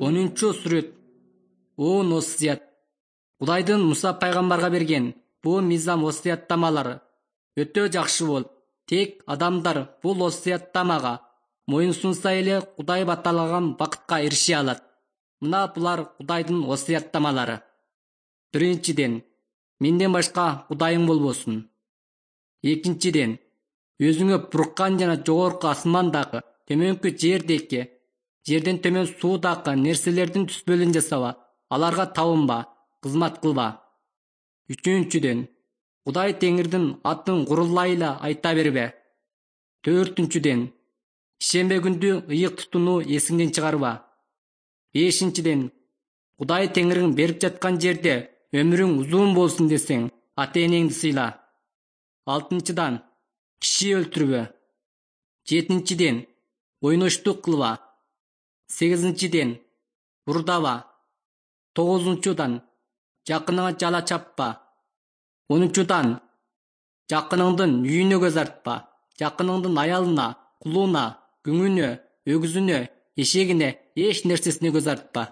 10-сүрөт. Он осуят. Кудайдын Муса пайгамбарга берген бул мыйзам осуяттамалары өтө жакшы болуп, тек адамдар бул осуяттамага моюн сунса эле Кудай баталаган бакытка эрише алат. Мына булар Кудайдын осуяттамалары. Биринчиден, менден башка Кудайың болбосун. Экинчиден, өзүңө буркан жана жогорку асмандагы, төмөнкү жердеги, жерден төмөн суудагы нерселердин түспөлүн жасаба, аларга табынба, кызмат кылба. Үчүнчүден, Кудай Теңирдин атын курулайла айта бербе. Төртүнчүден, шембе күндү ыйык тутууну эсиңден чыгарба. Бешинчиден, Кудай Теңириң берип жаткан жерде өмүрүң узун болсун десең, ата-энеңди сыйла. Алтынчыдан, киши өлтүрбө. Жетинчиден, ойноштук кылба. Сегизинчиден, урдава. Тогузунчудан, жакыныңа жала чаппа. 10-чудан, жакыныңдын үйүнө көз артпа. Жакыныңдын аялына, кулуна, күңүнө, өгүзүнө, эшегине, эч нерсесине көз артпа.